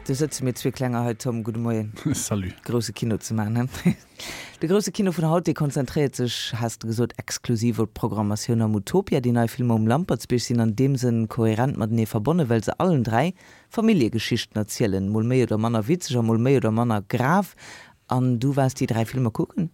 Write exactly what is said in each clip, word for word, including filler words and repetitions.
Do sëtze mir zwee Klenger hei, Tom, gudde Moien. Salut. Grousse Kino ze maachen, he? De grousse Kino vun haut, dee konzentréiert sech, has de gesot, exklusiv op d'Programmatioun am Utopia. Déi nei Filmer um Lampertsbierg sinn an deem Sënn kohärent matenee verbonnen, well se allen dräi Familljegeschichten erzielen, mol méi oder manner witzeg a mol méi oder manner grav. An du waars déi dräi Filmer kucken?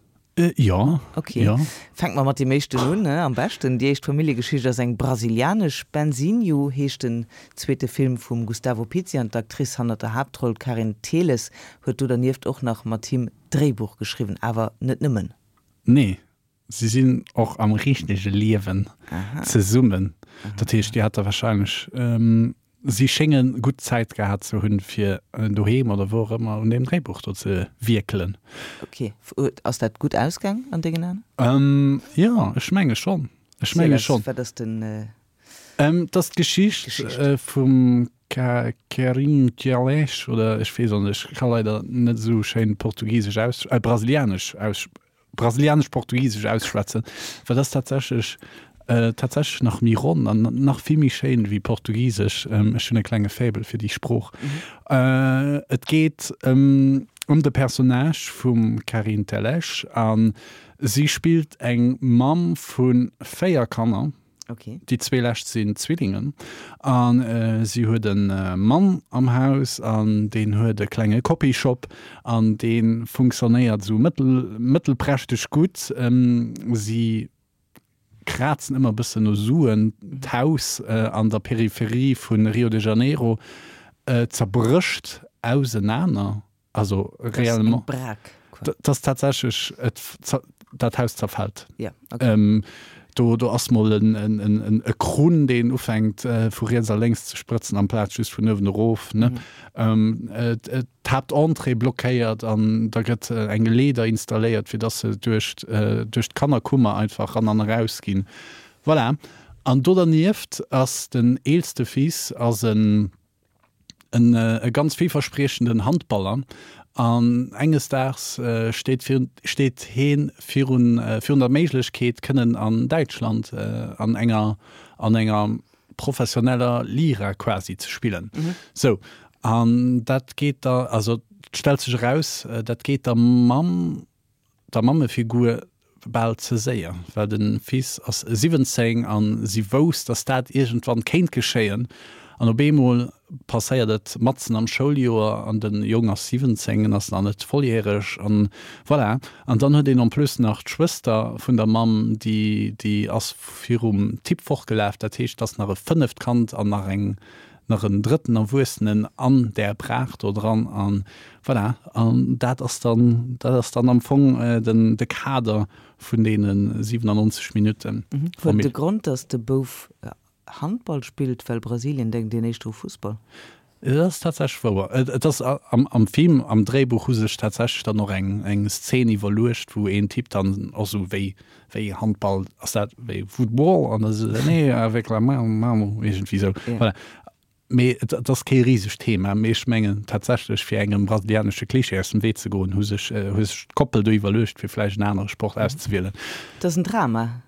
Jo. Ok. Jo. Fänke mer mat deem éischten un, ne? Am beschten. Déi éischt Familljegeschicht ass eng brasilianesch. Benzinho heescht den zweete Film vum Gustavo Pizzi an d'Actrice hannert der Haaptroll, d'Karine Teles, huet do dernieft och nach mat him d'Dréibuch geschriwwen. Awer net nëmmen. Nee, si sinn och am richtege Liewen zesummen. Dat heescht, déi hat da warscheinlech Si schénge gutt Zäit gehat ze hunn, fir doheem oder wou och ëmmer un deem Dréibuch do ze wierkelen. Ok. Ass dat gutt ausgaang an dengen Aen? Jo, ech menge schonn. Ech menge schonn. Wat ass den. Et ass d'Geschicht vum Kerim Tjalech oder ech weess och net, ech ka leider net esou schéin portugisesch aus, brasilianesch aus. Brasilianesch-Portugisesch ausschwätzen, well dat ass tatsächlech tatsächlech nach méi ronn an nach vill méi schéin wéi Portugisesch. Ech hunn e klenge Faible fir déi Sprooch. Et geet ëm de Personnage vum Karine Tellez a si spillt eng Mamm vu véier Kanner. Okay. Déi zwee lescht sinn Zwillingen. A si huet e Mann am Haus an deen huet e klenge Copyshop an dee funktionéiert esou mëttel, mëttelprächteg gutt. Si krazen ëmmer e bëssen no Suen. D'Haus an der Peripherie vu Rio de Janeiro zerbrécht ausenaner. Also réellement. Dat ass tatsächlech, et, dat Haus zerfält. Ja, okay. Ähm, do, do ass mol en, en, en, e Krunn, deen ufänkt vu riets a lénks ze sprëtzen, amplaz just vun uewen erof. Ne? Mhm. Ähm, d'Haaptentrée blockéiert an da gëtt eng Leeder installéiert, fir dass se duerch, duerch d'Kannerkummer einfach ran an eraus ginn. Voilà. An do dernieft ass den eelste Fils ass en, en e ganz villverspriechenden Handballer an enges Daags steet virun steet heen virun virun der Méiglechkeet kënnen an Däitschland an enger an enger professioneller Lira quasi ze spillen. Sou an dat geet da also et stellt sech eraus dat geet der Mamm der Mammefigur bal ze séier, well de Fils ass siwwenzéng a si wousst, datt dat iergendwann kéint geschéien. An op eemol passéiert et matzen am Schouljoer an de Jong ass siwwenzéng, en ass nach net volljäreg an voilà. An dann huet een en plus nach d'Schwëster vun der Mamm, déi déi ass virum Typ fortgelaf. Dat heescht, et ass nach e fënneft Kand an nach eng nach en drëtten Erwuessenen an där Brach do dran an voilà. An dat ass dann, dat ass dann am Fong den, de Kader vun deene siwenannonzeg Minutten. Huet de Grond, datt de Bouf Handball spillt, well Brasilien denkt een éischter u Fussball? Dat ass tatsächlech wouer. Et ass am, am Film, am Dréibuch hu sech tatsächlech dann och eng, eng Szen iwwerluecht, wou een Typ dann och sou wéi, wéi Handball, ass dat wéi Football? An da sou, nee, avec la main, main, iergendwéi sou. Voilà. Mee et ass kee risegt Thema. Mee ech mengen tatsächlech, fir engem brasilianesche Klischee aus dem Wee ze goen, hu sech hu sech d'Koppel do iwwerluecht, fir vläicht en anere Sport auszewielen. Et ass en Drama.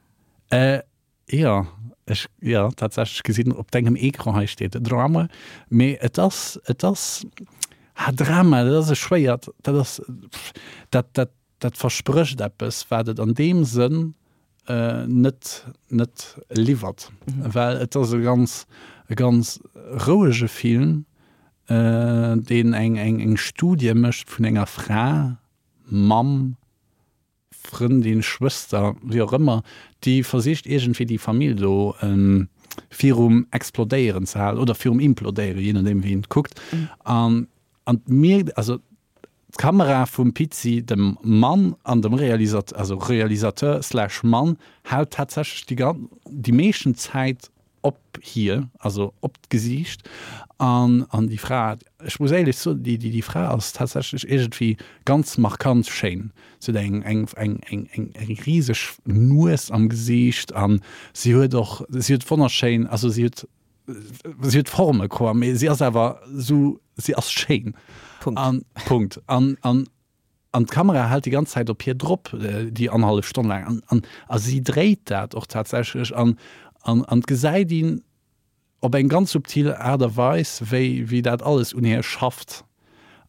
Jo, ech, jo, tatsächlech gesinn op dengem Ecran hei steet Drama. Mee et ass, et ass, ha Drama, dat ass e schwéiert, dat ass, dat, dat, dat versprécht eppes, wat et an deem Sënn net net liwwert, well et ass e ganz e ganz rouege Film, deen eng eng eng Studie mécht vun enger Fra, Mamm, Frëndin, Schwëster, wéi och ëmmer, déi versicht iergendwéi déi Famill do virum Explodéieren ze halen oder virum Implodéieren, jee nodeem wéi een et kuckt. An an et mierkt, also D'Kamera vum Pizzi, dem Mann an dem Realisateur, also Realisateur slash Mann, hält tatsächlech déi gan déi meeschten Zäit op hir, also op d'Gesiicht. An an déi Fra, ech muss éierlech soen, déi déi Fra ass tatsächlech iergendwéi ganz markant schéin. Si huet eng eng eng eng eng eng riseg Nues am Gesiicht an si huet och, si huet wonnerschéin, also si huet Si huet Forme quoi, mee si ass awer sou, si ass schéin. Punkt. An, Punkt. An, an, an d'Kamera hält déi ganz Zäit op hir drop, déi annerhallef Stonn laang. An, an, a si dréit dat och tatsächlech. An, an, an et gesäit een op eng ganz subtil Aart a Weis, wéi, wéi dat alles un hir schafft.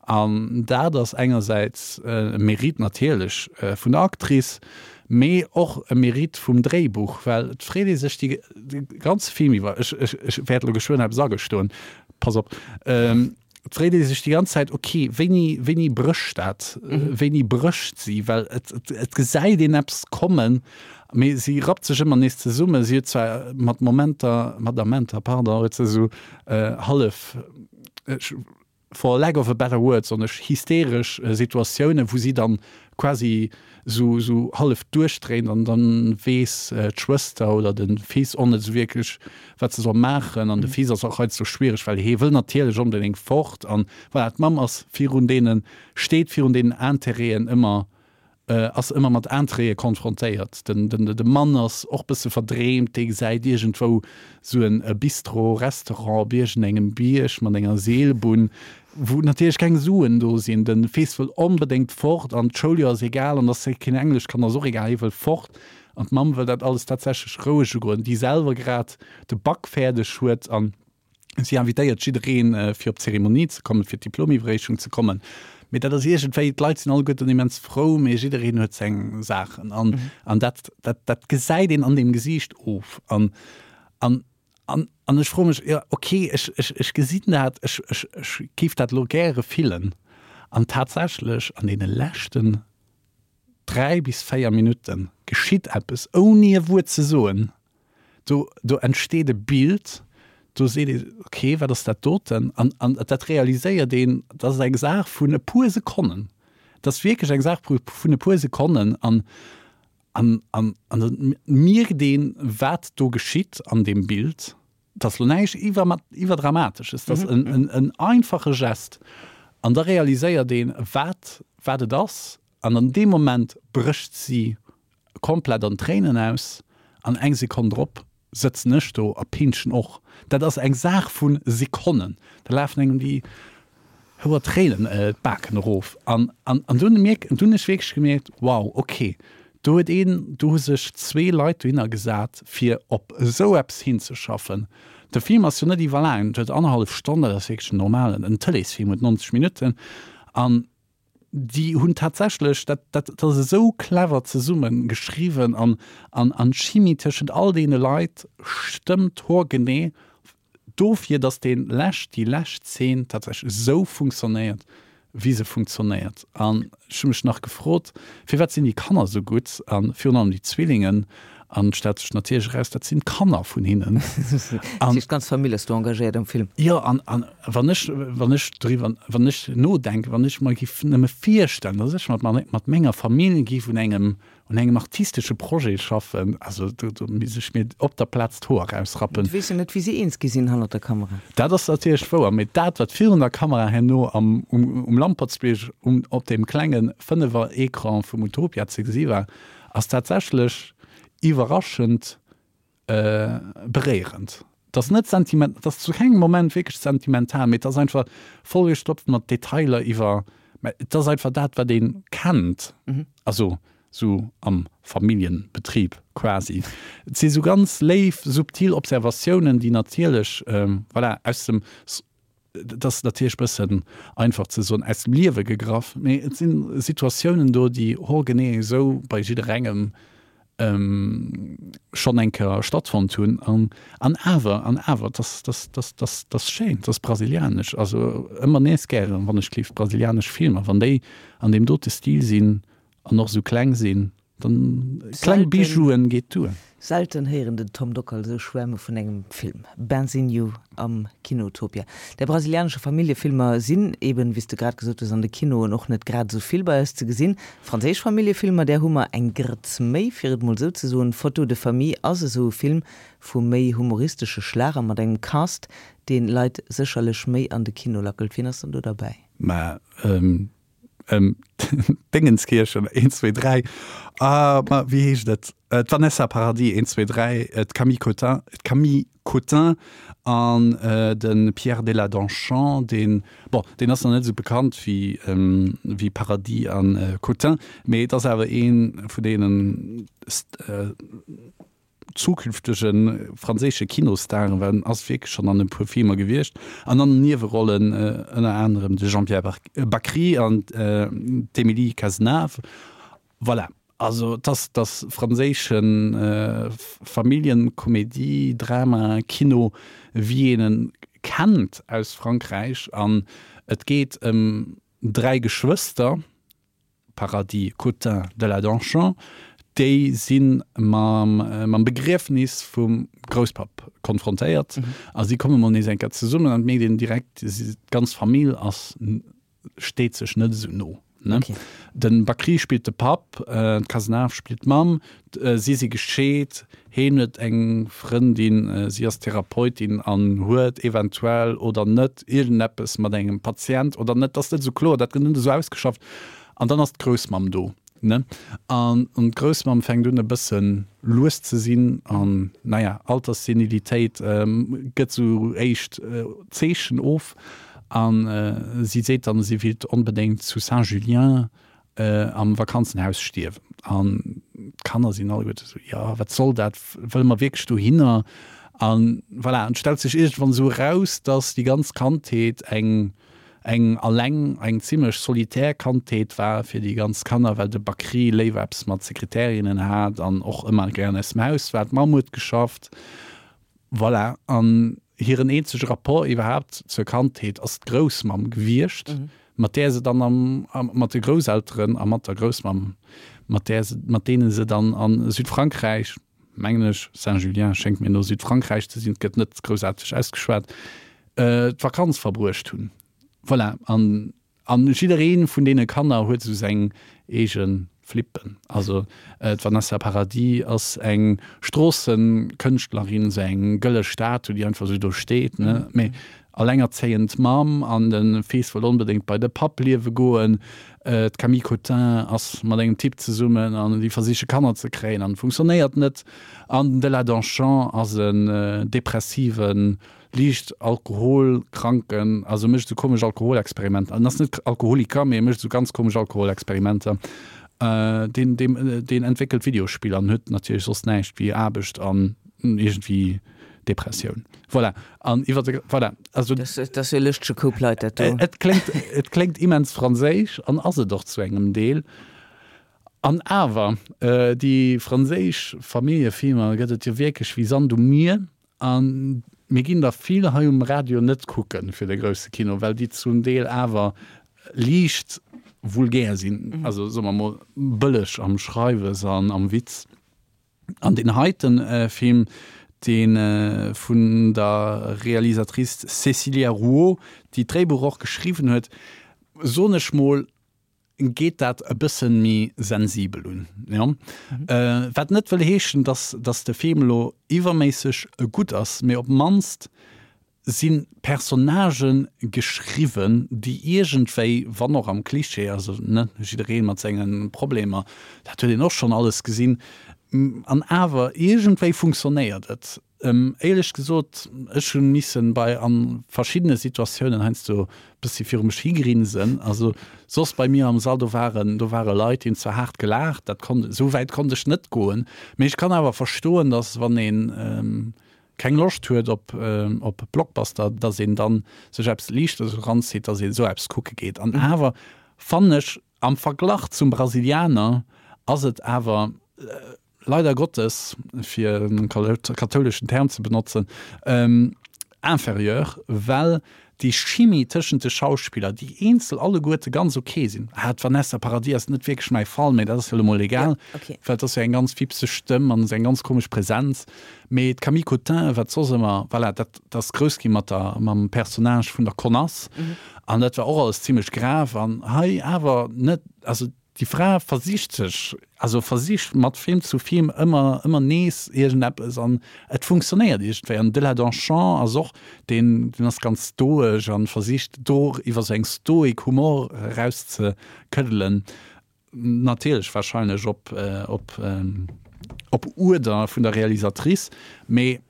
An dat ass engersäits e Mérite natierlech vun der Actrice, mee och e Mérite vum Dréibuch, well et freet ee sech de ganze Film iwwer, ech, ech, ech wäert elo geschwënn eppes agestoen, pass op, et freet ee sech déi ganz Zäit, ok, wéini, wéini brécht dat, wéini brécht si, well et, et, et gesäit een eppes kommen, mee si rappt sech ëmmer nees zesummen. Si huet zwar mat Momenter, mat Amenter, pardon, huet se esou hallef, ech, for lack of a better word, soen ech, hysteresch Situatiounen, wou si dann quasi sou, sou hallef duerchdréint an dann weess d'Schwëster oder de Fils och net sou wierklech, wat se soll maachen. An de Fils ass och heiansdo schwiereg, well hee wëll natierlech onbedéngt fort. An voilà, d'Mamm ass virun deene, steet virun deenen Intérêten ëmmer ass ëmmer mat Intérêtë konfrontéiert. Den, den, de Mann ass och bësse verdreemt, dee gesäit iergendwou sou en Bistro, Restaurant op iergendengem Bierg mat enger Seelbunn, wou natierlech keng Suen do sinn. De Fils wëll onbedéngt fort an d'Schouljoer ass egal an dass hie keen Englesch kann ass och egal, hie wëll fort. An d'Mamm wëll dat alles tatsächlech roueg ugoen, déi selwer grad de Bac fäerdeg huet an Si invitéiert jiddereen, fir op d'Zeremonie ze kommen, fir d'Diplomiwwerreechung ze kommen. Mee dat ass iergendwéi, d'Leit sinn alleguerten immens frou, mee jiddereen huet seng Saachen. An, an dat, dat, dat gesäit een an deem Gesiicht of. An, an, an, an ech froe mech, jo, okay, ech, ech, ech gesinn dat, ech, ech, ech géif dat elo gäre fillen. An tatsächlech an deene leschten dräi bis véier Minutte geschitt eppes, ouni e Wuert ze soen. Do, do entsteet e Bild, do seet ee, okay, wat ass dat doten? An, an dat realiséiert een, dat ass eng Saach vun e puer Sekonnen. Dat ass wierklech eng Saach vun e puer Sekonnen. An, an, an, an da mierkt een, wat do geschitt an deem Bild. Dat ass elo näischt iwwer, Iwwerdramatesches, dat ass en, en, en einfache Gest. An da realiséiert een, wat, wat et ass. An an deem Moment brécht si komplett an Tréinen aus an eng Sekonn drop sëtzen ech do a pinschen och. Dat ass eng Saach vu Sekonnen, da lafen engem déi Houer Tréinen d'Baken erof. An an dunn mierk, dunn hunn ech wierklech gemierkt, wow, ok, do huet een, do hu sech zwee Leit dohinner gesat, fir op esou eppes hinzeschaffen. De Film ass jo net iwwerlaang, en huet annerhallef Stonn, dat ass wierklech en normalen, en Tëleesfilm huet nonzeg Minutten. An déi hunn tatsächlech, dat, dat, dat ass esou clever zesumme geschriwwen an, an, an d'Chimie tëschent all deene Leit stëmmt hoergenee dofir, datt dee lescht, déi lescht Zeen tatsächlech esou funktionéiert, wéi se funktionéiert. An ech hu mech nach gefrot, firwat sinn déi Kanner esou gutt a virun allem déi Zwillingen? An et stellt sech natierlech eraus, dat sinn d'Kanner vun hinnen. Dat heescht, d'ganz Famill ass do engagéiert am Film? Jo, an, an wann ech, wann ech driwwer, wann ech nodenken, wann ech mer giff nëmme virstellen, dass ech mat, mat menger Famill giff un engem, un engem artistesche Projet schaffen, also do, do misst ech mir op der Plaz d'Hoer erausrappen. Du weess jo net, wéi si eens gi sinn hannert der Kamera. Dat ass natierlech wouer, mee dat, wat virun der Kamera herno am, um, um Lampertsbierg um, op deem klenge Fënnefer-Ecran vum Utopia ze gesi war, ass tatsächlech iwwerraschend beréierend. Et ass net sentiment, et ass zu kengem Moment wierklech sentimental, mee et ass einfach vollgestopft mat Detailer iwwer, mä et ass einfach dat, wat ee kennt, also sou am Familljenbetrib quasi. Et si sou ganz léif, subtil Observatiounen, déi natierlech, voilà, aus dem Et ass natierlech e bëssen einfach ze soen, aus dem Liewe gegraff, mee et si Situatiounen do, déi horgenee esou bei jidderengem schonn eng Kéier stattfonnt hunn. An, an awer, an awer, et ass, dat, dat, dat, dat ass schéin, dat ass brasilianesch. Also ëmmer nees gären, wann ech gleef, brasilianesch Filmer, wann déi an deem dote Stil sinn an och esou kleng sinn, Dann kleng Bijouen geet duer. Selten héieren den Tom Dockal esou schwäerme vun engem Film. Benzinho am Kinotopia. Där brasilianesche Familljefilmer sinn eben, wéi s de grad gesot hues, an de Kinoen och net grad esou vill bei eis ze gesinn. Franséisch Familljefilmer, där hu mer eng Grëtz méi, fir et mol esou ze soen. Photo de famille ass esou e Film vu méi humoristesche Schlager mat engem Cast, deen Leit sécherlech méi an de Kino lackelt. Wien ass dann do derbäi? Mä Dingenskirchen, een, zwee, dräi, ah, ma wéi heescht et? D'Vanessa Paradis, een, zwee, dräi, d'Camille Cotin, d'Camille Cotin an de Pierre Deladonchamps, deen, bon, deen ass nach net esou bekannt wéi, wéi Paradis a Cotin, mee et ass awer ee vun deenen zukünftege franséische Kinostaren, well en ass wierklech schonn an e puer Filmer gewiescht, an an den Niewerollen ënner anerem de Jean-Pierre Bacri an d'Émilie Cazenave. Voilà, also et ass, et ass franséische Familljenkomedie, Drama, Kino, wéi een en kennt aus Frankräich an et geet ëm dräi Geschwëster, Paradis, Cotin, Deladonchamps, déi si mam mam Begriefnis vum Grousspapp konfrontéiert a si komme mol nees eng Kéier zesummen an et mierkt een direkt, d'ganz Famill ass steet sech net esou no. Ne? Okay. Den Bacri spillt de Papp, d'Cazenave spillt d'Mamm. Si si gescheet, heen huet eng Frëndin, si ass Therapeutin an huet eventuell oder net iergendeppes mat engem Patient oder net, dat ass net esou kloer, dat gëtt net esou ausgeschafft. An dann ass d'Groussmamm do, ne? An d'Groussmamm fänkt un e bësse lues ze sinn an, naja, Alterssenilitéit gëtt esou éischt Zeechen of. A si seet dann, si willt onbedéngt zu Saint-Julien am Vakanzenhaus stierwen. An d'Kanner sinn alleguerte esou, Jo, wat soll dat? Wëlle mer wierklech dohinner? A voilà, an et stellt sech iergendwann esou eraus, dass déi ganz Kandheet eng eng alleng, eng zimmlech solitär Kandheet war fir déi ganz Kanner, well de Bacri léiwer eppes mat Sekretärinnen hat an och ëmmer gären aus dem Haus war. D'Mamm huet geschafft. Voilà, an hiren eenzege Rapport iwwerhaapt zur Kandheet ass d'Groussmamm gewiescht, mat där se dann am, mat de Grousselteren a mat der Groussmamm, mat där se, mat deene se dann a Südfrankräich, mengen ech, Saint-Julien schéngt mir no Südfrankräich ze sinn, et gëtt net groussaarteg ausgeschwat, d'Vakanz verbruecht hunn. Voilà, an An jidderee vun deene Kanner huet esou seng eege Flippen. Also d'Vanessa Paradis ass eng Stroossekënschtlerin, esou eng gëlle Statue, déi einfach esou do steet, ne? Mee allengerzéiend Mamm an de Fils wëll onbedéngt bei de Papp liewe goen. D'Camille Cotin ass mat engem Typ zesummen an déi versiche Kanner ze kréien an funktionéiert net. An den Deladonchamps ass en depressiven Liicht Alkoholkranken, also mécht esou komesch Alkoholexperimenter, en ass net Alkoholiker, mee e mécht esou ganz komesch Alkoholexperimenter, deen, deen, deen entwéckelt Videospiller an huet natierlech soss näischt wéi Aarbecht an iergendwéi Depressioun. Voilà, an iwwer de, voilà, also. Dat ass jo e lëschtege Koup Leit, dat do. Et kléngt, et kléngt immens franséisch an ass et och zu engem Deel. An awer, déi franséisch Familljefilmer gëtt et jo wierklech wéi Sand um Mier. A mir ginn der vill hei um Radio net kucke fir de grousse Kino, well déi zum Deel awer liicht vulgär sinn, also soe mer mol bëlleg am Schreiwes an am Witz. An deen heite Film, dee vun der Realisatrice Cécilia Rouault, déi d'Dréibuch och geschriwwen huet, soen ech mol, geet dat e bëssen méi sensibel un, jo. Wat net wëll heeschen, dass dass de Film elo iwwerméisseg gutt ass, mee op d'mannst si Personnagen geschriwwen, déi iergendwéi, wann och am Klischee, also ne, jidderee mat senge Problemer, dat huet een och schonn alles gesinn, an awer iergendwéi funktionéiert et. Éierlech gesot, ech hu missen bei a verschiddene Situatiounen heiansdo bëssi viru mech higrinsen. Also soss bei mir am Sall, do waren, do ware Leit, déi hunn zwar haart gelaacht, dat konnt, esou wäit konnt ech net goen, mee ech kann awer verstoen, datt wann een keng Loscht huet op op Blockbuster, datt een dann sech eppes Liichtes eranzitt, datt een esou eppes kucke geet. An awer fannen ech, am Verglach zum Brasilianer ass et awer, leider Gottes, fir en kathouleschen Term ze benotzen, inférieur, well déi Chimie tëschent de Schauspiller, déi eenzel alleguerte ganz ok sinn, ah, d'Vanessa Paradis ass net wierklech mäi Fall, mä dat ass jo elo mol egal, well et ass jo eng ganz fipseg Stëmm an esou eng ganz komesch Präsenz, mee d'Camille Cotin, wat soss ëmmer, voilà, dat ass grouss gi mat der, mam Personnage vun der Konass an dat war och alles zimlech grav an hei awer net, also Déi Fra versicht sech, also versicht mat Film zu Film ëmmer, ëmmer nees iergendeppes an et funktionéiert iergendwéi. An de Deladonchamps ass och deen, deen ass ganz stoesch an versicht do iwwer sou eng Stoik Humor erauszekëddelen. Natierlech wahrscheinlech op, op, op Uerder vun der Realisatrice, mee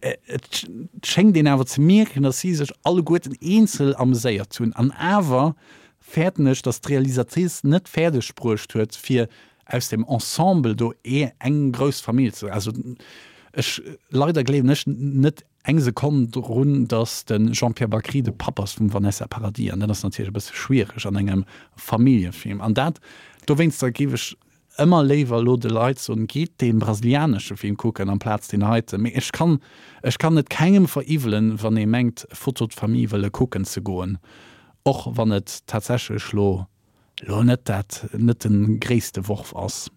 Et schéngt een awer ze mierken, datt si sech alleguerten eenzel ameséiert hunn. An awer fäerten ech, datt d'Realisatrice net fäerdeg bruecht huet, fir aus dem Ensemble do eng grouss Famill ze, also Ech, leider gleewen ech net eng Sekonn drun, dass de Jean-Pierre Bacri de Papp ass vum Vanessa Paradis. An dat ass natierlech e bësse schwiereg an engem Familljefilm. An dat, dowéinster géif ech ëmmer léiwer elo de Leit soen, gitt dee brasilianesche Film kucken amplaz deen heiten. Mee ech kann, ech kann et kengem veriwwelen, wann ee mengt, Photo de famille wëlle kucken ze goen, och wann et tatsächlech elo elo net dat, net de gréisste Worf ass.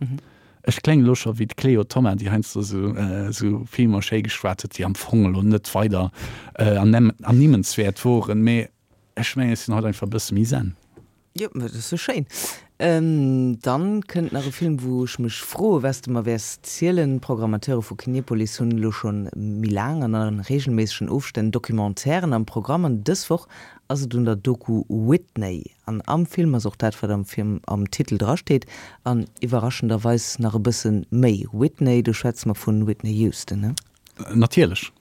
Ech kléngen elo scho wéi d'Cléo Thoma, déi heiansdo esou, esou Filmer schéi geschwat huet, déi am Fong elo net weider ernimmenswäert woren. Mee ech mengen, ech sinn haut einfach e bësse méi zen. Jo, mä dat ass jo schéin. Dann kënnt nach e Film, wou ech mech froe wat s de mer wäers zielen. D'Programmateure vu Kinepolis hunn elo scho méi laang an a reegelméissegen Ofstänn Documentairen am Programm an dës Woch ass et un der Doku Whitney. An am Film ass och dat, wat am Film am Titel drasteet an iwwerraschenderweis nach e bësse méi. Whitney, do schwätze mer vun Whitney Houston, ne? Natierlech.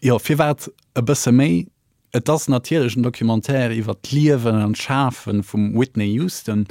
Jo, firwat e bësse méi? Et ass natierlech en Documentaire iwwer d'Liewen an d'Schafe vum Whitney Houston.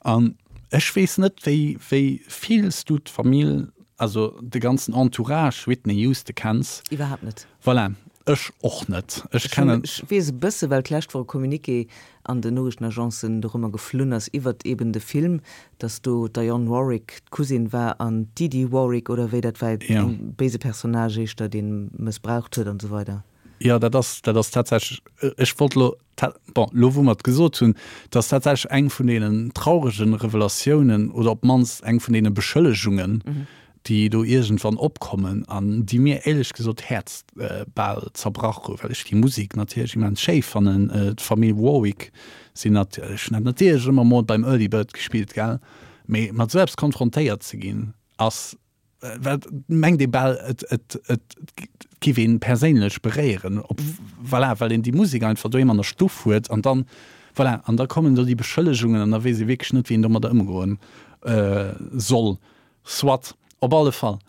An ech weess net, wéi wéi vill s du d'Famill, also de ganzen Entourage Whitney Houston kenns. Iwwerhaapt net. Voilà, ech och net. Ech kennen. Ech weess e bësse well d'lescht Woch e Communiqué an den Noriichtenagencen dorëmmer geflunn ass iwwert eben de Film, dass do d'Dionne Warwick d'Cousine war an d'Dee Dee Warwick oder wéi dat war, e béise Personnage éischter, dee mëssbraucht huet an esou weider. Jo, dat ass, dat ass tatsächlech, ech wollt elo, bon, elo wou mer et gesot hunn, dat ass tatsächlech eng vun deenen trauregen Revelatiounen oder op d'mannst eng vun deene Beschëllegungen, déi do iergendwann opkommen an déi mir éierlech gesot d'Häerz bal zerbrach hu, well ech déi Musek natierlech immens schéi fannen. D'Famill Warwick sinn natierlech, ech hunn dat natierlech ëmmer mol beim Early Bird gespillt, gell, mee mat esou eppes konfrontéiert ze ginn ass, Well mengt ee bal, et, et, et giff een perséinlech beréieren, op, voilà, well een déi Musek einfach doheem an der Stuff huet an dann, voilà, an da kommen do déi Beschëllegungen an da weess ee wierklech net, wéi een domadder ëmgoen soll. Soit, op alle Fall,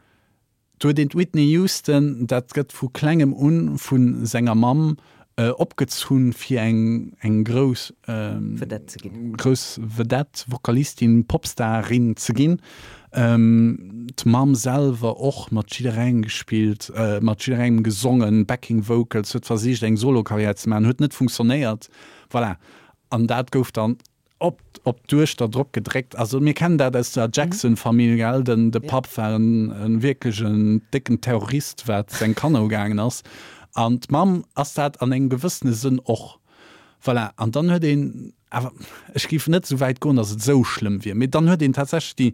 do huet een d'Whitney Houston, dat gëtt vu klengem un vu senger Mamm opgezunn, fir eng, eng grouss, Vedette ze ginn. Grouss Vedette, Vokalistin, Popstarin ze ginn. D'Mamm selwer och mat jidderengem gespillt, mat jidderengem gesongen, Backing Vocals, huet versicht eng Solo-Karriär ze maachen, huet net funktionéiert. Voilà. An dat gouf dann op op d'Duechter drop gedréckt. Also mir kennen dat aus der Jackson-Famill, gell, den de Papp war en en wierklech en décken Terrorist wat seng Kanner ugaangen ass an d'Mamm ass dat an engem gewëssene Sënn och. Voilà, an dann huet een awer, ech géif net esou wäit goen, datt et esou schlëmm wier, mee dann huet een tatsächlech déi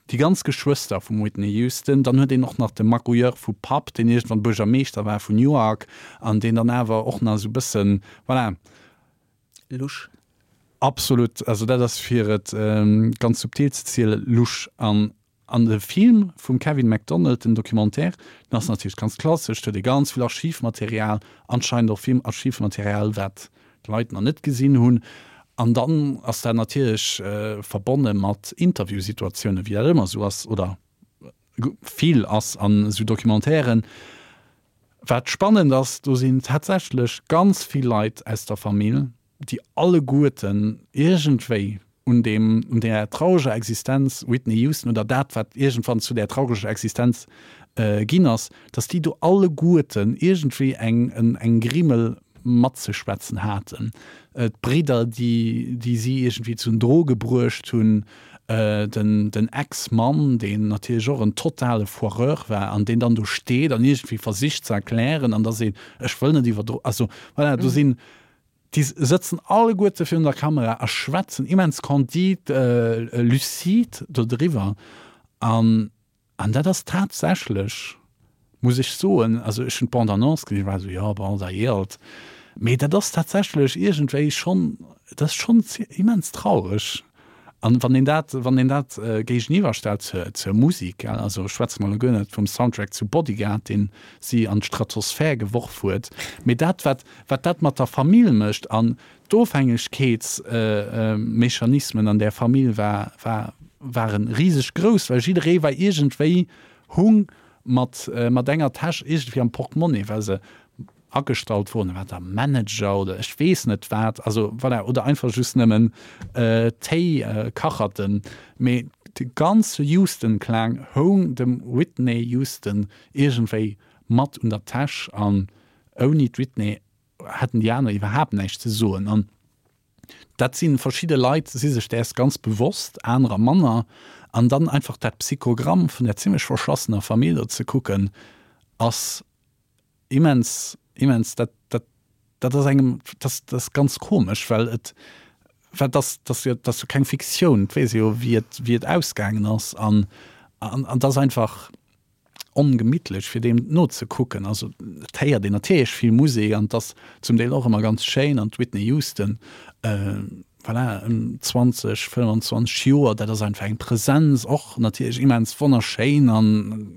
déi ganz Geschwëster vum Whitney Houston, dann huet een och nach de Magouilleur vu Papp, deen iergendwann Buergermeeschter war vun Newark an deen dann awer och nach esou e bëssen, voilà. Lusch. Absolut, also dat ass fir et ganz subtil ze zielen, lusch. An an de Film vum Kevin Macdonald, den Documentaire, den ass natierlech ganz klassesch, do huet ee ganz vill Archivmaterial, anscheinend och vill Archivmaterial wat d'Leit nach net gesinn hunn. An dann ass dat natierlech verbonne mat Interviewsituatiounen, wéi dat ëmmer esou ass oder vill ass an esou Documentairen. Wat spannend ass, do sinn tatsächlech ganz vill Leit aus der Famill, déi alleguerten iergendwéi un deem, un där traureger Existenz Whitney Houston oder dat, wat iergendwann zu där traureger Existenz ginn ass, dass déi do alleguerten iergendwéi eng, eng Grimmel matzeschwätzen haten. D'Bridder, déi, déi si iergendwéi zu den Droge bruecht hunn, den, den Ex-Mann, deen natierlech och en totale Foireur war an deen dann do steet an iergendwéi versicht ze erklären an da seet, ech wëll net iwwer Dro-, also voilà, do sinn, déi sëtzen alleguerte virun der Kamera a schwätzen immens candide, lucide dodriwwer an An dat ass tatsächlech, muss ech soen, also ech hunn d'Bande-annonce gesinn, war esou, jo, bon, da ealt. Mee dat ass tatsächlech iergendwéi schonn, dat ass schonn immens traureg. An wann een dat, wann een dat géigeniwwer stellt zur, zur Musek, gell, also schwätze mer elo guer net vum Soundtrack zu Bodyguard, deen si an d'Stratosphär geworf huet, mee dat, wat, wat dat mat der Famill mécht an D'Ofhängegkeetsmechanismen an där Famill war, war, waren riseg grouss, well jidderee war iergendwéi hung mat, mat enger Täsch iergendwéi am Portemonnaie, well se agestallt wurden, war da Manager oder ech weess net wat, also voilà, oder einfach just nëmmen Téi-Kacherten. Mee De ganze Houston-Clan houng dem Whitney Houston iergendwéi mat un der Täsch an ouni d'Whitney hätten déi aner iwwerhaapt näischt ze soen. An dat si verschidde Leit si sech däers ganz bewosst, anerer manner. An dann einfach dat Psychogramm vun där zimmlech verschlassener Famill do ze kucken, ass immens, immens, dat, dat, dat ass engem, dat, dat ass ganz komesch, well et, well dat, dat ass jo, dat ass jo keng Fiktioun, et weess ee jo, wéi et, wéi et ausgaangen ass. An, an, an dat ass einfach ongemittlech, fir deem nozekucken. Also et héiert een natierlech vill Musek an et ass zum Deel och ëmmer ganz schéin an d'Whitney Houston, voilà, ëm zwanzeg, fënnwanzwanzeg Joer, dat ass einfach eng Präsenz, och natierlech immens wonnerschéin an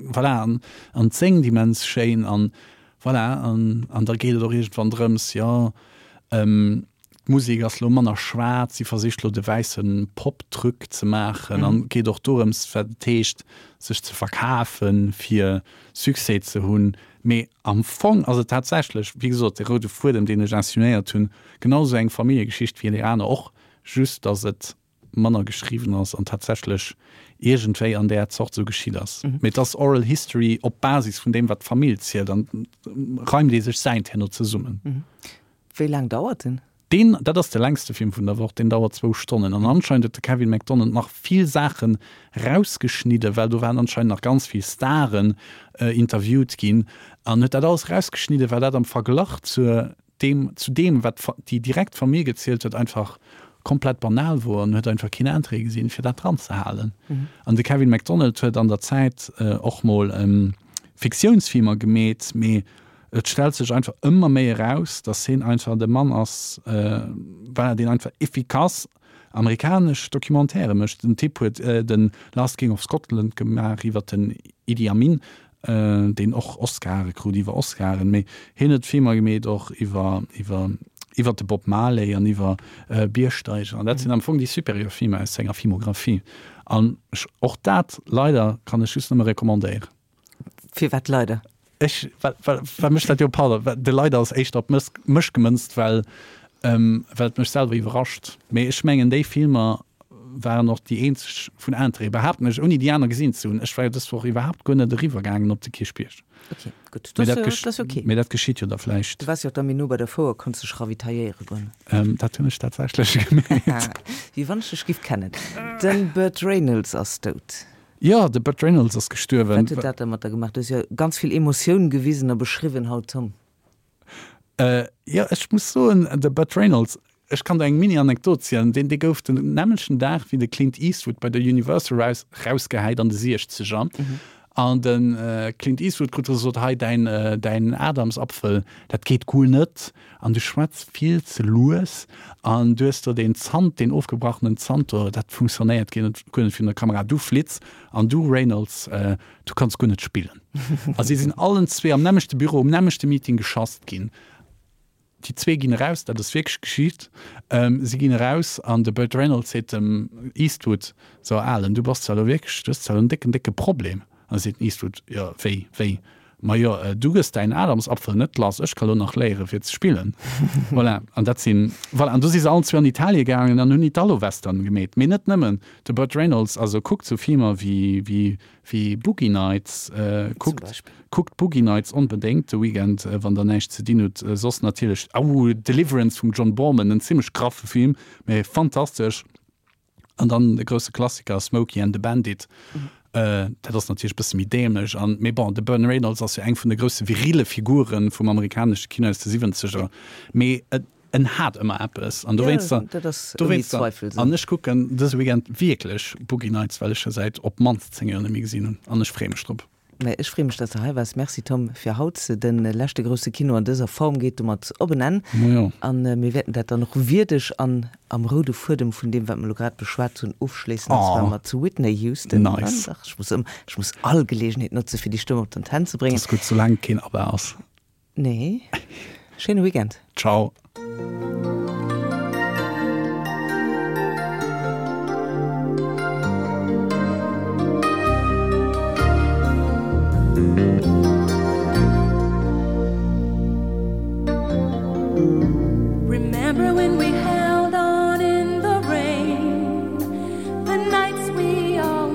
voilà, an an séngt immens schéin an voilà, an an da geet et och iergendwann drëms, jo, D'Musek ass lo manner schwaarz, si versicht lo de wäisse Pop-Truc ze maachen an geet och dorëms, wat et heescht, sech ze verkafen, fir Succès ze hunn. Mee am Fong ass et tatsächlech, wéi gesot, de roude Fuedem, deen ech insinuéiert hunn, genau esou eng Familljegeschicht wéi déi aner och, just datt et manner geschriwwen ass an tatsächlech iergendwéi an där Zort esou geschitt ass. Mee et ass Oral History op Basis vun deem, wat d'Famill zielt an reimt ee sech säint herno zesummen. Wéi laang dauert en? Deen, dat ass de längste Film vun der Woch, deen dauert zwou Stonnen. An anscheinend huet de Kevin McDonald nach vill Saachen rausgeschnidden, well do waren anscheinend nach ganz vill Staren interviewt ginn, an huet dat alles rausgeschnidden, well dat am Verglach zu deem, zu deem wat déi direkt Famill gezielt huet, einfach komplett banal wor an huet einfach keen Interêt gesinn, fir dat dran ze halen. An de Kevin McDonald huet an der Zäit och mol Fiktiounsfilmer gemeet, mee Et stellt sech einfach ëmmer méi eraus, dass hien einfach de Mann ass, voilà, deen einfach efficace amerikanesch Documentairë mécht. Den Typ huet de Last King of Scotland gemaach iwwer den Idi Amin, deen och Oscare krut iwwer Oscaren. Mee hien huet Filmer gemeet och iwwer, iwwer, iwwer de Bob Marley an iwwer Biergsteiger. An dat sinn am Fong déi supérieur Filmer aus senger Filmographie. An ech, och dat leider kann ech just nëmme recommandéieren. Firwat leider? Ech, well, well, well mech dat jo, pardon, well de leider ass éischter op mech, mech gemënzt, well, ähm, well et mech selwer iwwerrascht. Mee ech mengen, déi Filmer waren och déi eenzeg vun Interêt, behaapten ech, ouni déi aner gesinn ze hunn. Ech war jo dës Woch iwwerhaapt guer net eriwwer gaangen op de Kierchbierg. Ok, gutt, Mee dat dat ass jo, dat ass jo ok. Mee dat geschitt jo da vläicht. Du waars jo och da méi no bei der Fouer, konns dech ravitailléiere goen. Ähm, dat hunn ech tatsächlech gemeet. Wéi wann ech dech giff kennen. De Burt Reynolds ass dout. Jo, de Burt Reynolds ass gestuerwen. Wat huet dat da mat der gemaach? Du hues jo ganz vill Emotioun gewisen a beschriwwen haut, Tom. Jo, ech muss soen, de Burt Reynolds, ech kann der eng Mini-Anekdot zielen, deen, dee gouf den nämmlechten Dag wéi de Clint Eastwood bei der Universal raus, rausgehäit an de Siechzeger. An de Clint Eastwood krut gesot, hei däin, däin Adamsapfel, dat geet guer net an du schwätz vill ze lues an du hues do deen Zant, deen ofgebrachenen Zant do, dat funktionéiert guer net, guer net virun der Kamera, du Flitz an du Reynolds, du kanns guer net spillen. A si sinn allen zwee am nämmlechte Büro, um nämmlechte Meeting geschasst ginn. Déi zwee ginn eraus, dat ass wierklech geschitt, si ginn eraus an de Burt Reynolds seet dem Eastwood, So Alen, du bass zwar elo wierklech, du hues zwar elo en décken, décke Problem. An da seet den Eastwood, Jo, wéi, wéi? Ma jo, du gëss däin Adamsapfel net lass, ech ka lo nach léiere fir ze spillen. Voilà, an dat sinn, voilà, an du si se allen zwee an Italie gaangen an hunn Italo-Western gemeet. Mee net nëmmen, de Burt Reynolds, also kuckt sou Filmer wéi, wéi, wéi Boogie Nights, kuckt, kuckt Boogie Nights onbedéngt de Weekend, wann der näischt ze dinn hutt. Soss natierlech, oh, Deliverance vum John Boorman, en zimmlech graffe Film, mee fantastesch. An dann de grousse Klassiker Smokey and the Bandit. Dat ass natierlech e bësse méi dämlech an, mee bon, de Burn Reynolds ass jo eng vun de grousse virile Figure vum amerikanesche Kino aus de Siwwenzeger. Mee en hat ëmmer eppes an dowéinster, dowéinster, an ech kucken dëse Weekend wierklech Boogie Nights, well ech e säit op d'mannst zéng Joer net méi gesinn hunn an ech freeë mech drop. Mä ech freeë mech, dass de hei waars. Merci Tom fir haut. De leschte grousse Kino an dëser Form geet domat op en Enn. A mir wäerten dat dann och wierdeg an am roude Fuedem vun deem, wat mer elo grad beschwat hunn, ofschléissen, an zwar mat Whitney Houston. Nice. Dach, ech muss ëm, ech muss all Geleegenheet notze fir déi Stëmm op d'Antenn ze bréngen. Dat ass gutt, soulaang et keen ABBA ass. Nee. Schéine Weekend. Ciao. Remember when we held on in the rain, the nights we all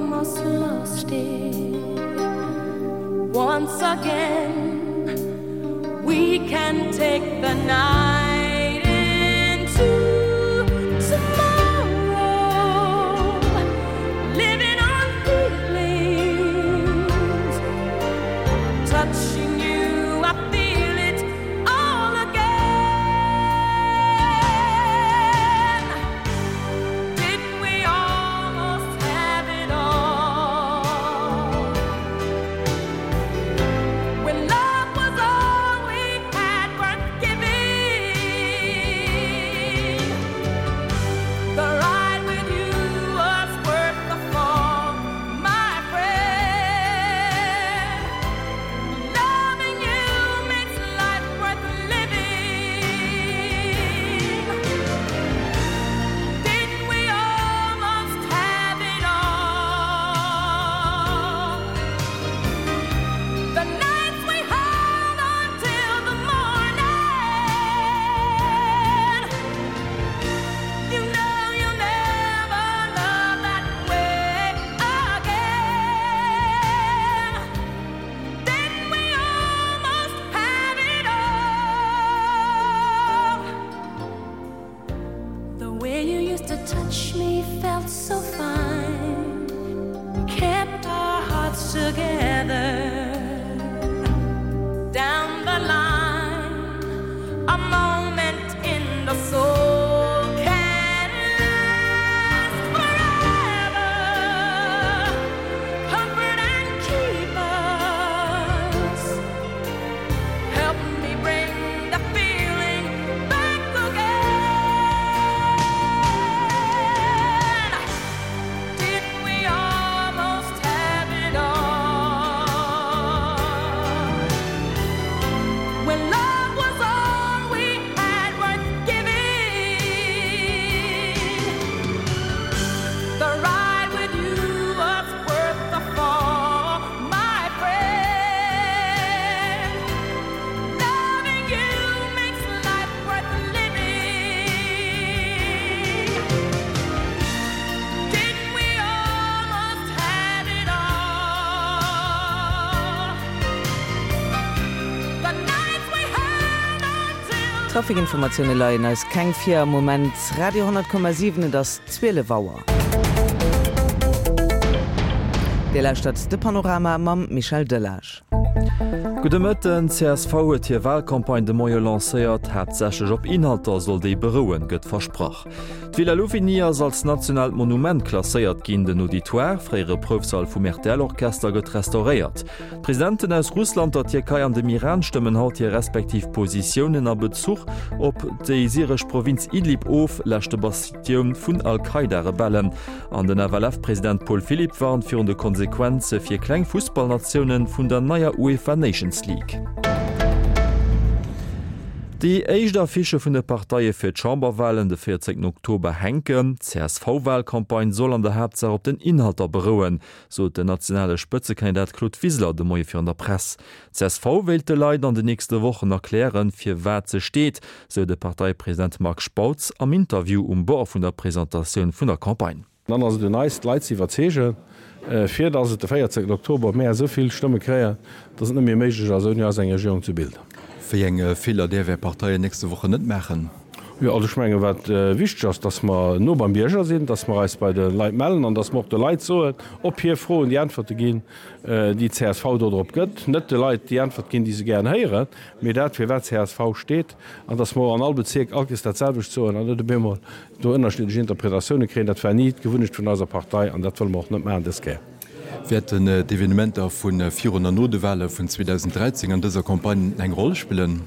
again. We can take the night into tomorrow, living on feelings. Touching you, I feel it all again. Didn't we almost have it all? When love was all we had worth giving, the ride with you was worth the fall, my friend. Loving you makes life worth living. Didn't we almost have it all? The nights we held on till the morning. You know you'll never love that way again. Didn't we almost have it all? The way you used to touch me felt so fine. Kept our hearts together. Down the line, a moment in the soul can last forever. Comfort and keep us. Help me bring the feeling back again. Didn't we almost have it all? When love was all we had worth giving, the ride with you was worth the fall, my friend. Loving you makes life worth living. Didn't we almost have it all? The nights we held on till Trafikinformatioune leien eis keng vir am Moment. Radio honnert Komma siwen, et ass zwielef Auer. Dir lauschtert de Panorama mam Michel Delage. Gudde Mëtten, csv huet hir Walcampagne de Moie lancéiert. Haaptsächlech op Inhalter soll déi berouen, gëtt versprach. D'Villa Louvigny ass als nationaalt Monument klasséiert ginn. Den Auditoire, fréiere Proufsall vum R T L-Orchester, gëtt restauréiert. D'Presidenten aus Russland, der Tierkei an dem Iran stëmmen haut hir respektiv Positiounen a Bezuch op déi syresch Provinz Idlib of, leschte Bastioun vun Al-Qaida-Rebellen. An den F L F-President Paul Philipp warnt virun de Konsequenze fir kleng Fussballnatiounen vun der neier UEFA Nations League. Déi éischt Affichë vun de Parteie fir d'Chamberwalen de véierzéngten Oktober hänken. D'C S V-Walcampagne soll an der Haaptsaach op den Inhalter berouen, sot den nationale Spëtzekandidat Claude Wiseler de Moie virun der Press. D C S V wéilt de Leit an den nächste Wochen erklären, fir wat se steet, sou de Parteipresident Marc Spautz am Interview um Bord vun der Presentatioun vun der Campagne. Dann ass et un eis, d'Leit ze iwwerzeegen, fir datt et de véierzéngten Oktober mär esou vill Stëmme kréien, datt et net méi méiglech ass, ouni eis eng Regierung ze bilden. Wéi eng Feeler däerf Är Partei nächste Wochen net maachen? Jo, also ech mengen, wat wichteg ass, datt mer no beim Bierger sinn, datt mer eis bei de Leit mellen an datt mer och de Leit soen, op hir Froen déi Äntwerte ginn, déi d'C S V do drop gëtt. Net de Leit déi Äntwert ginn, déi se gären héieren, mee dat, fir wat d'C S V steet, an datt mer an all Bezierk all Kéiers dat selwecht soen an net op eemol do ënnerschiddlech Interpretatioune kréien. Dat war ni d'Gewunnecht vun eiser Partei an dat wëlle mer och net maachen dës Kéier. Wäerten d'Evenementer vu virun an no de Wale vun zweedausend dräizéng an dëser Campagne eng Roll spillen?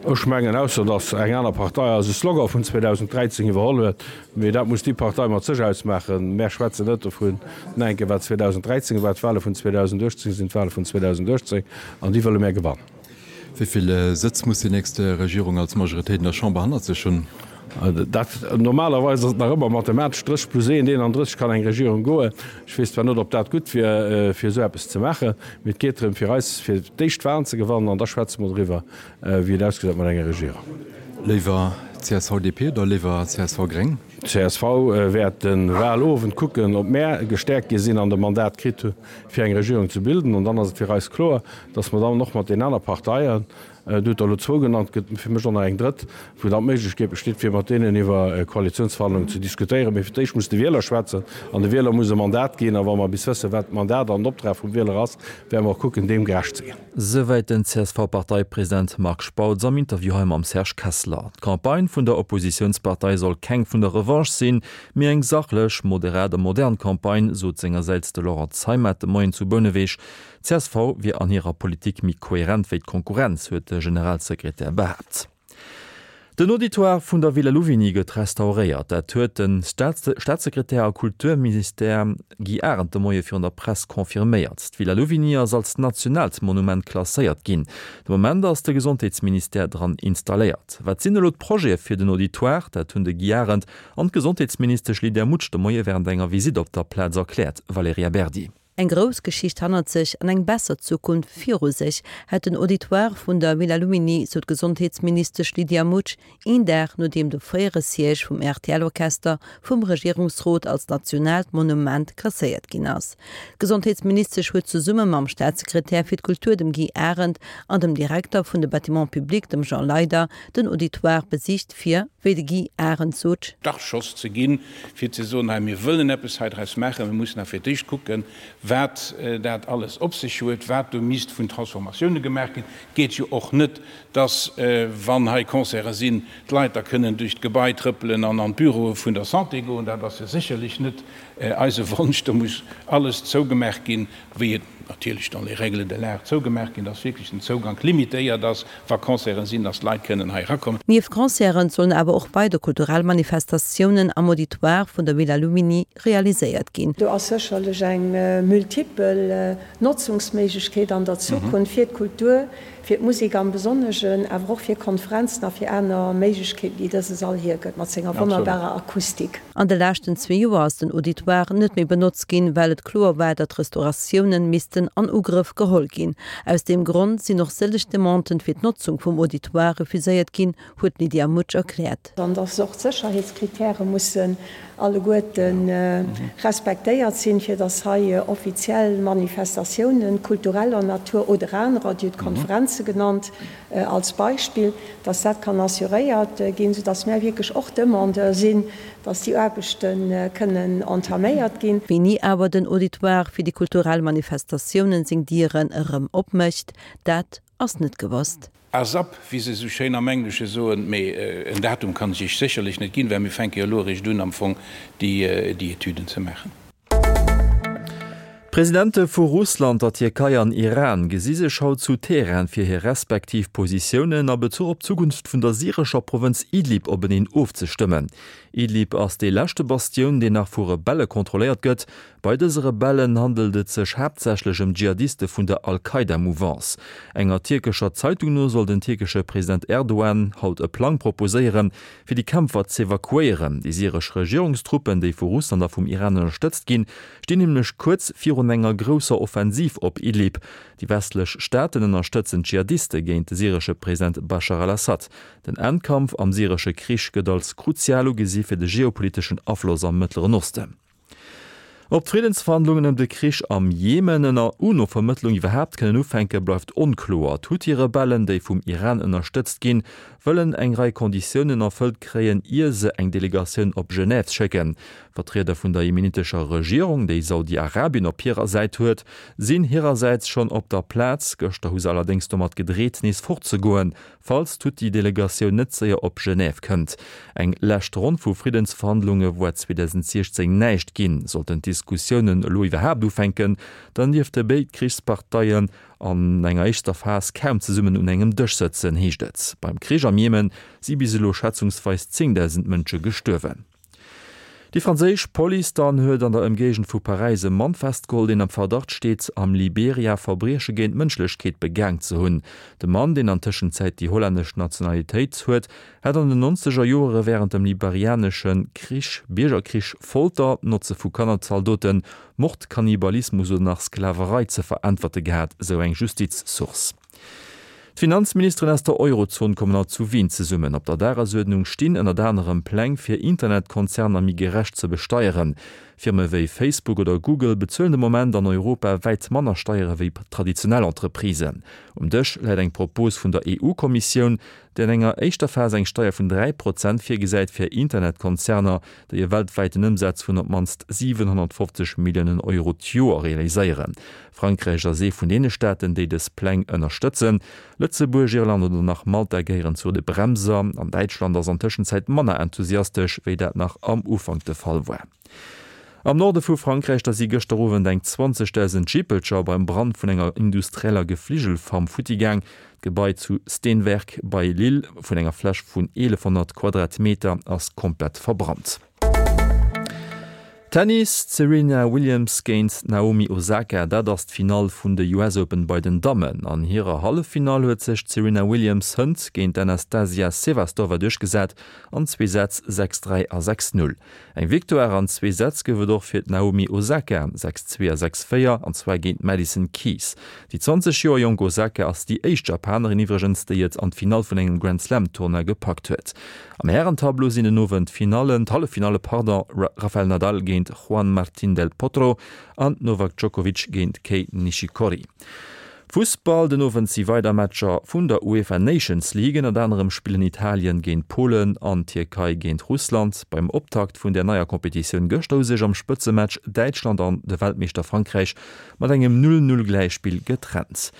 Ech mengen, ausser datt eng aner Partei eise Slogan vun zweedausend dräizéng iwwerholl huet, mee dat muss déi Partei mat sech ausmaachen. Mär schwätzen net dovun, enke wat zweedausend dräizéng war. D'Wale vun zweedausend uechtzéng sinn d'Wale vun zweedausend uechtzéng an déi wëlle mär gewannen. Wéi vill Sëtz muss déi nächst Regierung als Majoritéit an der Chamber hannert sech hunn? Dat, normalerweis ass et nach ëmmer mathematesch drësseg plus eent, eenandrësseg kann eng Regierung goen. Ech weess zwar net, ob dat gutt wier, fir esou eppes ze maachen, mee et geet drëm, fir eis fir d'éischt d'Walen ze gewannen an da schwätze mer doriwwer, wéi et ausgesäit mat enger Regierung. Léiwer CSV-DP oder léiwer CSV-Gréng? Csv wäert de Wahlowend kucken, ob mär gestäerkt gi sinn an de Mandat kritt hu fir eng Regierung ze bilden. An dann ass et fir eis kloer, datt mer dann och mat den aner Parteien, Dir hutt der elo zwou genannt, gëtt fir mech och nach eng drëtt, wou dann d'Méiglechkeet besteet, fir mat deenen iwwer Koalitionsverhandlungen ze diskutéieren. Mee fir d'éischt muss de Wieler schwätzen an de Wieler muss e Mandat ginn. A wa mer bis wëssen, wat d'Mandat an den Optrag vum Wieler ass, wäerte mer och kucken, deem gerecht ze ginn. Souwäit den C S V-Parteipresident Marc Spautz am Interview hei mam Serge Kessler. D'Campagne vun der Oppositiounspartei soll keng vun der Revanche sinn, mee eng sachlech, moderat a modern Campagne, sot sengersäits de Laurent Zeimet de Moien zu Bouneweg. Csv wier an hirer Politik méi kohärent wéi d'Konkurrenz, huet de Generalsekretär behaapt. Den Auditoire vun der Villa Louvigny gëtt restauréiert. Dat huet de Staatssekretär a Kulturminister Guy Arendt de Moie virun der Press confirméiert. D'Villa Louvigny ass als nationaalt Monument klasséiert ginn. De Moment ass de Gesondheetsministère dran installéiert. Wat sinn elo d'Projete fir den Auditoire? Dat hunn de Guy Arendt an d'Gesondheetsministesch Lydia Mutsch de Moie wärend enger Visitt op der Plaz erkläert. Valerija Berdi. Eng grouss Geschicht hannert sech an eng besser Zukunft viru sech hätt den Auditoire vun der Villa Louvigny, sou d'Gesondheetsministesch Lydia Mutsch een Dag nodeem de fréiere Siège vum R T L-Orchester vum Regierungsrot als nationaalt Monument klasséiert ginn ass. D'Gesondheetsministesch huet zesumme mam Staatssekretär fir d'Kultur, dem Guy Arendt, an dem Direkter vun de Bâtiments publics, dem Jean Leyder, den Auditoire besicht fir, wéi de Guy Arendt sot, Startschoss ze ginn, fir ze soen, hei mir wëllen eppes hei draus maachen, mir mussen awer fir d'éischt kucken, wat dat alles op sech huet, wat do misst vun Transformatioune gemaach ginn. Et geet jo och net, dass, wann hei Concerte sinn, d'Leit da kënnen duerch d'Gebai trëppelen an an d'Büroe vun der Santé goen. Dat ass jo sécherlech net eise Wonsch. Do muss alles zougemaach ginn, wéi et natierlech dans les règles de l'art zougemaach ginn, dass wierklech den Zougank limitéiert ass, wa Concerten sinn, dass d'Leit kënnen hei erakommen. Nieft Concerten sollen awer och weider kulturell Manifestatiounen am Auditoire vun der Villa Louvigny realiséiert ginn. Do ass sécherlech eng multipel Notzungsméiglechkeet an der Zukunft fir d'Kultur, fir d'Musek am Besonneschen, awer och fir Konferenzen a fir aner Méiglechkeeten, déi dëse Sall hiergëtt mat senger wonnerbarer Akustik. An de leschten zwee Joer ass den Auditoire net méi benotzt ginn, well et kloer war, datt Restauratiounen missten an Ugrëff geholl ginn. Aus deem Grond sinn och sëlleg Demanden fir d'Notzung vum Auditoire refuséiert ginn, huet d'Lydia Mutsch erkläert. An datt och d'Sécherheetskrittäre mussen alleguerte respektéiert sinn, fir datt hei offiziell Manifestatiounen kultureller Natur oder anerer, Dir hutt Konferenze genannt als Beispill, datt dat kann assuréiert ginn, soudatt mär wierklech och Demandeur sinn, datt déi Aarbechte kënnen entaméiert ginn. Wéini awer den Auditoire fir déi kulturell Manifestatiounen seng Dieren erëm opmécht, dat ass net gewosst. Asap, wéi se esou schéin am Englesche soen, mee en Datum kann ech Iech sécherlech net ginn, well mir fänke jo elo eréischt un am Fong déi Etüden ze maachen. D'Presidente vu Russland, der Tierkei an Iran gesi sech haut zu Teheran fir hir respektiv Positiounen a Bezuch op d'Zukunft vun der syrescher Provënz Idlib openeen ofzestëmmen. Idlib ass déi leschte Bastioun, déi nach vu Rebelle kontrolléiert gëtt. Bei dëse Rebellen handelt et sech haaptsächlech ëm Dschihadiste vun der Al-Qaida-Mouvance. Enger tierkescher Zeitung no soll den tierkesche President Erdogan haut e Plang proposéieren, fir déi Kämpfer z'evakuéieren. Déi syresch Regierungstruppen, déi vu Russland a vum Iran ënnerstëtzt ginn, stinn nämlech kuerz virun enger grousser Offensiv op Idlib. Déi westlech Staaten ënnerstëtzen d'Dschihadiste géint de syresche President Baschar al-Assad. Den Endkampf am syresche Krich gëtt als kruzial ugesi fir de geopoliteschen Afloss am Mëttleren Osten. Ob d'Friddensverhandlungen ëm de Krich am Jemen ënner UNO-Vermëttlung iwwerhaapt kënnen ufänken, bleift onkloer. D'Huthi-Rebellen, déi vum Iran ënnerstëtzt ginn, wëllen eng Rei Konditiounen erfëllt kréien, ier se eng Delegatioun op Genève schécken. Vertrieder vun der jemenitescher Regierung, déi Saudi-Arabien op hirer Säit huet, sinn hirersäits schonn op der Plaz. Gëschter hu se allerdéngs domat gedreet, nees fortzegoen, falls d'Huthi-Delegatioun net séier op Genève kënnt. Eng lescht Ronn vu Friddensverhandlunge war zweedausendsiechzéng näischt ginn. Sollten d'Diskussiounen elo iwwerhaapt ufänken, dann dierfte béid Krichsparteien an enger éischter Phas kaum zesummen un engem Dësch sëtzen, heescht et. Beim Krich am Jemen si bis elo schätzungsweis zéngdausend Mënsche gestuerwen. Déi franséisch Police dann huet an der Ëmgéigend vu Paräis e Mann festgeholl, deen am Verdacht steet, am Liberia Verbrieche géint d'Mënschlechkeet begaang ze hunn. De Mann, deen an Tëschenzäit déi hollännesch Nationalitéit huet, hätt an den nonzeger Joere wärend dem liberianesche Krich, Biergerkrich, Folter, d'Notze vu Kannerzaldoten, Mord, Kannibalismus oder nach Sklaverei ze veräntwerte gehat, sou eng Justizsource. D'Finanzministeren aus der Eurozon kommen haut zu Wien zesummen. Op der Dagesuerdnung stinn ënnert anerem Pläng, fir Internetkonzerner méi gerecht ze besteieren. Firme wéi Facebook oder Google bezuelen de Moment an Europa wäit manner Steiere wéi traditionell Entreprisen. Um Dësch läit eng Propos vun der EU-Kommissioun, déi an enger éischter Phas eng Steier vun dräi Prozent virgesäit fir Internetkonzerner, déi e weltwäiten Ëmsaz vun op d'mannst siwenhonnertfofzeg Milliounen Euro d'Joer realiséieren. Frankräich ass ee vun deene Staaten, déi dës Pläng ënnerstëtzen. Lëtzebuerg, Irland oder nach Malta gehéieren zu de Bremser. An Däitschland ass an Tëschenzäit manner enthusiastesch, wéi dat nach am Ufank de Fall war. Am Norde vu Frankräich da si gëschter Owend eng zwanzegdausend Jippelcher beim Brand vun enger industrieller Gefligelfarm futti gaang. D'Gebai zu Steenwerck bei Lille vun enger Fläch vun eelefhonnert Quadratmeter ass komplett verbrannt. Tennis, D'Serena Williams géint d'Naomi Osaka, dat ass d'Finall vun de U S Open bei den Dammen. An hirer Halleffinall huet sech d'Serena Williams hënt géint d'Anastasia Sevastova duerchgesat an zwee Sätz, sechs dräi a sechs null. Eng Victoire an zwee Sätz gouf et och fir d'Naomi Osaka, sechs zwee a sechs véier, an zwar géint d'Madison Keys. Déi zwanzeg Joer jonk Osaka ass déi éischt Japanerin iwwregens, déi et an d'Finall vun engem Grand Slam Tournoi gepackt huet. Am Härentableau sinn den Owend d'Finallen, d'Halleffinalle, pardon, Rafael Nadal géint Juan Martín del Potro an Novak Djokovic géint Kei Nishikori. Fussball, Den Owend si weider Matcher vun der UEFA Nations League. Ënnert anerem spillen Italien géint Polen an d'Tierkei géint Russland. Beim Optakt vun der neier Kompetitioun gëschter hu sech am Spëtzematch Däitschland an de Weltmeeschter Frankräich mat engem Null-Null-Gläichspill getrennt.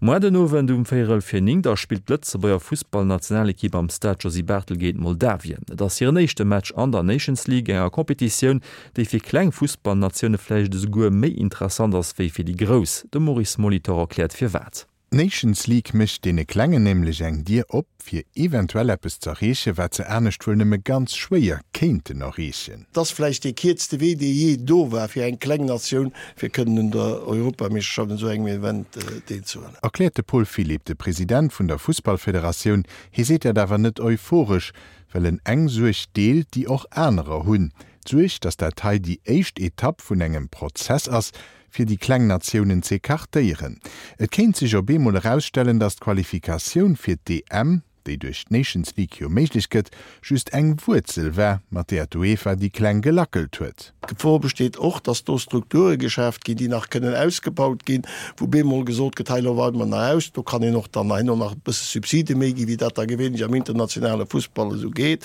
Moar den Owend um véierel vir néng da spillt d'Lëtzebuerger Fussballnationalekipp am Stade Josy Barthel géint Moldawien. Et ass hiren éischte Match an der Nations League, enger Kompetitioun, déi fir kleng Fussballnatioune vläicht esouguer méi interessant ass wéi fir déi grouss. De Maurice Molitor erkläert firwat. D'Nations League mécht deene Klengen nämlech eng Dier op, fir eventuell eppes z'erreechen, wat se anescht wuel nëmme ganz schwéier kéinten erreechen. Et ass vläicht dee kierzte Wee, dee jee do war fir eng kleng Natioun, fir kënnen un der Europameeschterschaft, un esou engem Event deelzehuelen. Erkläert de Paul Philipp, de President vun der Fussballfederatioun. Hie seet dat awer net euphoresch, well en eng Suerg deelt, déi och anerer hunn. D'Suerg, datt dat hei déi éischt Etapp vun engem Prozess ass, fir déi kleng Natiounen z'ecartéieren. Et kéint sech op eemol erausstellen, datt d'Qualifikatioun fir d'E M, déi duerch d'Nations League jo méiglech gëtt, just eng Wuerzel war, mat där d'UEFA déi Kleng gelackelt huet. D'Gefor besteet och, datt do Strukture geschaaft ginn, déi nach kënnen ausgebaut ginn, wou bemol gesot gëtt, hei elo weide mer nach aus, do kann een och dann herno nach e bësse Subside méi ginn, wéi dat da gewéinlech am internationale Fussball esou geet.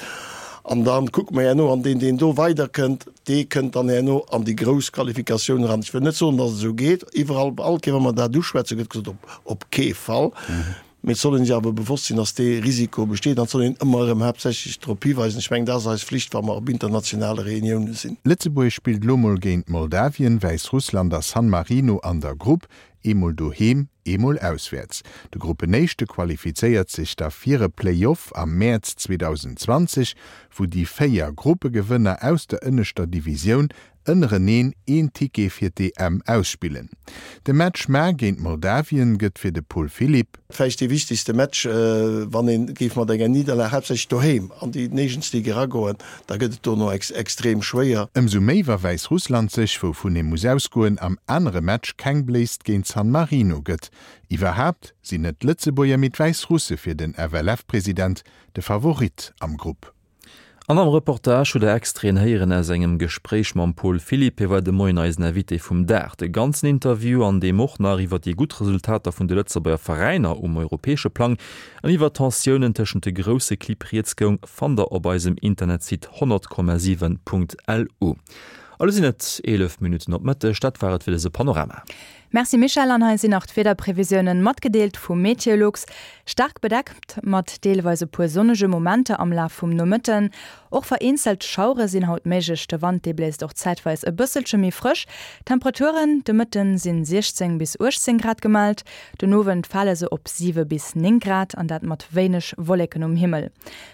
An da kucke mer herno, an deen, deen do weiderkënnt, dee kënnt dann herno an déi grouss Qualifikatioun eran. Ech wëll net soen, datt et esou geet. Iwwerall, all Kéier, wa mer dat uschwätzen, gëtt gesot, op, op kee Fall. Mee et soll een sech awer bewosst sinn, datt dee Risiko besteet, an et soll een ëmmer erëm haaptsächlech drop hiweisen. Ech mengen, dat ass eis Flicht, wa mer op internationale Reunioune sinn. Lëtzebuerg spillt lo mol géint Moldawien, Wäissrussland a San Marino an der Grupp, eemol doheem, eemol auswäerts. De Gruppenéischte qualifizéiert sech da fir e Play-off am Mäerz zweedausendzwanzeg, wou déi véier Gruppegewënner aus der ënneschter Divisioun ënnereneen een Ticket fir d'E M ausspillen. De Match mar géint Moldawien gëtt fir de Paul Philipp vläicht dee wichtegste Match, wann een géif mat enger Nidderlag haaptsächlech doheem an déi Nations League eragoen, da gëtt et dono extrem schwéier. Ëmsou méi wa Wäissrussland sech, wouvun ee muss ausgoen, am anere Match keng Bléisst géint San Marino gëtt. Iwwerhaapt sinn net d'Lëtzebuerger, mee d'Wäissrusse fir den F L F-President de Favorit am Grupp. An am Reportage hutt der Extraiten héieren aus engem Gespréich mam Paul Philipp, hie war de Moien eisen Invité vum Dag. De ganzen Interview, an deem och nach iwwer déi gutt Resultater vun de Lëtzebuerger Veräiner um europäesche Plang an iwwer Tensiounen tëschent de grousse Clibb rieds goung, fannt der op eisem Internetsite honnert Komma siwen Punkt L U. Elo sinn et eelef Minutten op Mëtteg, dat war et fir dëse Panorama. Merci Michel, an hei sinn nach d'Wiederprevisiounen matgedeelt vu Meteolux. Stark bedeckt mat deelweis e puer sonnege Momenter am Laf vum Nomëtten. Och vereenzelt Schauere sinn haut méiglech, de Wand dee bléist och zäitweis e bësselche méi frësch. Temperaturen de Mëtten sinn siechzéng bis uechtzéng Grad gemellt, den Owend fale se op siwe bis néng Grad an dat mat wéineg Wolleken um Himmel.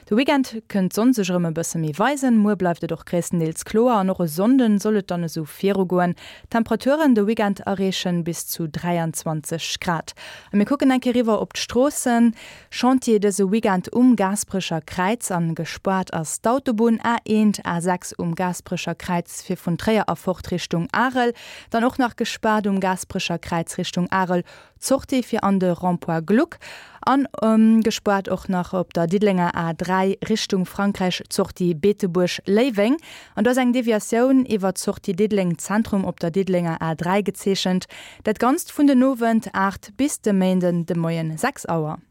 De Weekend kënnt d'Sonn sech erëm e bësse méi weisen, muer bleift et och gréisstendeels kloer an och e Sonnden soll et dann esou virugoen. Temperaturen de Weekend erreechen bis zu dräianzwanzeg Grad. A mir kucken eng Kéier riwwer op d'Stroossen. Chantier dëse Weekend um Gaasperecher Kräiz an gespaart ass d'Autobunn A eent, A sechs um Gaasperecher Kräiz fir vun Tréier a fort Richtung Arel. Dann och nach gespaart um Gaasperecher Kräiz Richtung Arel d'Sortie fir an de Rond-point Gluck an gespaart och nach op der Diddelenger A dräi Richtung Frankräich d'Sortie Beetebuerg-Léiweng an do ass eng Deviatioun iwwer d'Sortie Diddeleng Zentrum op der Diddelenger A dräi gezeechent. Dat Ganzt vun den Owend aacht bis de Méinden de Moien sechs Auer.